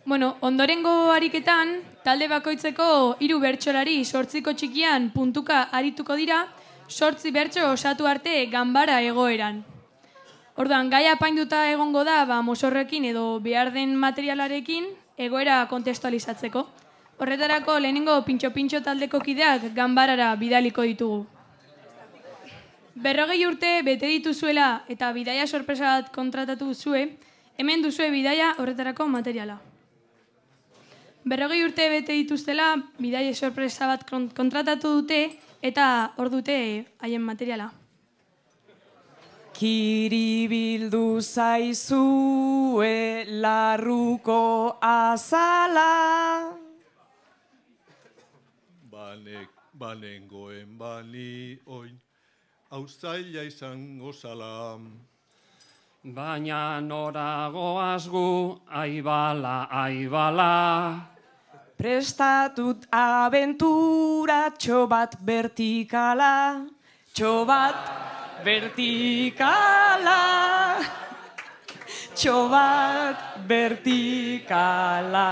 Ondorengo ariketan, talde bakoitzeko 3 bertsolari 8ko txikian puntuka arituko dira, 8 bertso osatu arte ganbara egoeran. Orduan, gai apainduta egongo da, mozorrekin edo behar den materialarekin egoera kontestualizatzeko. Horretarako lehenengo pintxo-pintxo taldeko kideak ganbarara bidaliko ditugu. 40 urte bete dituzuela eta bidaia sorpresa bat kontratatu duzue, hemen duzue bidaia horretarako materiala. 40 urte bete dituztela, bidaia sorpresa bat kontratatu dute eta hor dute haien materiala. Kiribildu zaizue larruko azala. Banengoen bani oin, auzaila izango zala. Baina noragoaz gu, aibala, aibala. Prestatut abenturatxo bat vertikala, txobat vertikala, txobat vertikala.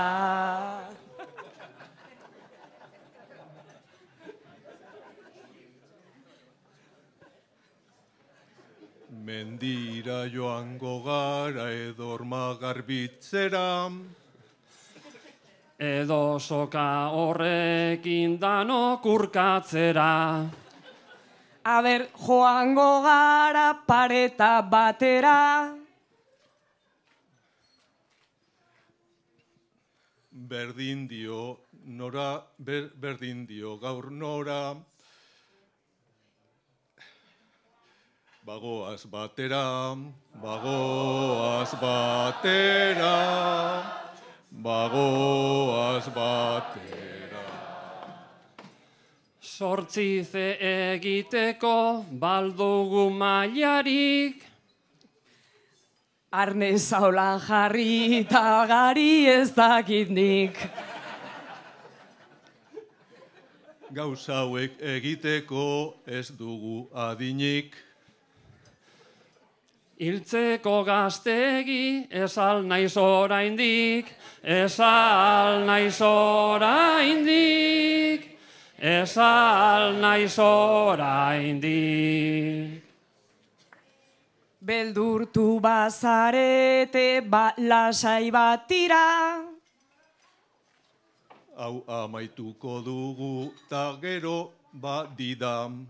Mendira joango gara edorma garbitzera. Edo soka horrekin danok urkatzera. Aber, joango gara pareta batera. Berdin dio gaur nora. Bagoaz batera, bagoaz batera. Bagoaz batera. 8 egiteko baldugu mailarik. Arne zaulan jarri eta gari ez dakit nik. Gauza hauek egiteko ez dugu adinik. Hiltzeko gaztegi esal naiz oraindik, esal naiz oraindik, esal naiz oraindik. Beldurtu bazarete lasai bat tira. Hau amaituko dugu ta gero badidam.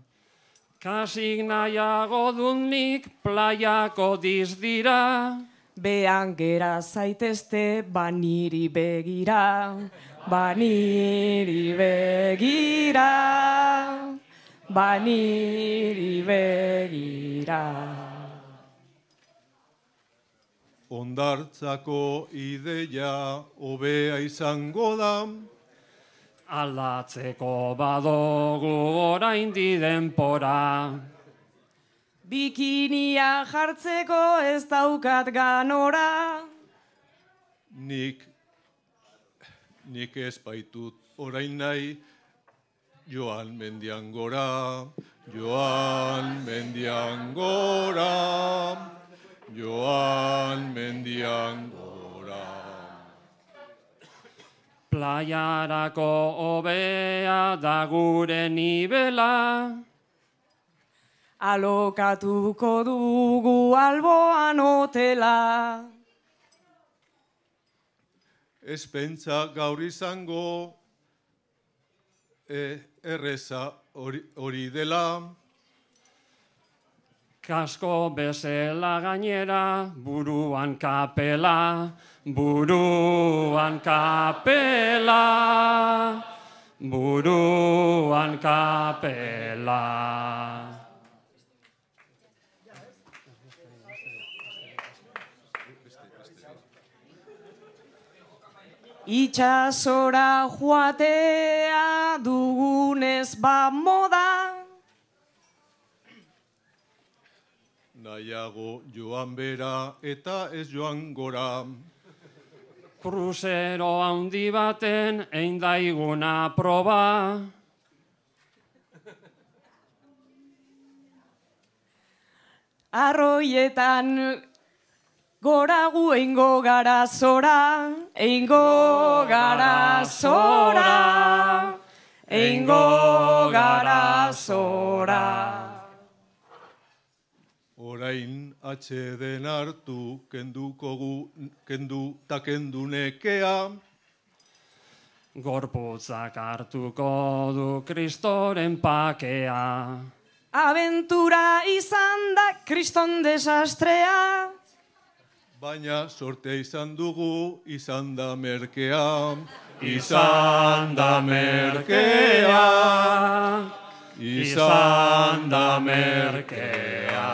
Kasik nahiago dut playako dizdira. Behan gera zaitezte baniri begira, baniri begira, baniri begira. Hondartzako ideia hobea izango da. Aldatzeko badogu oraindi denpora. Bikinia jartzeko ez daukat ganora. Nik ez baitut orain nahi, joan mendian gora, joan mendian gora, joan mendian gora. Playarako hobea da gure nibela. Alokatuko dugu alboan hotela. Ez pentsa gaur izango erreza hori dela. Kasko bezela gainera, buruan kapela, buruan kapela, buruan kapela. Itxasora joatea dugunez moda. Nahiago joan bera eta ez joan gora. Kruzero handi baten eindaiguna proba. Arroietan Gora gu eingo gara zora, eingo gara zora, eingo gara zora. Orain atxeden hartu, kendu ta kendu nekea. Gorputzak hartuko du Kristoren pakea. Aventura izan da kriston desastrea. Baina sortea izan dugu, izan da merkea. Izan da merkea, izan da merkea.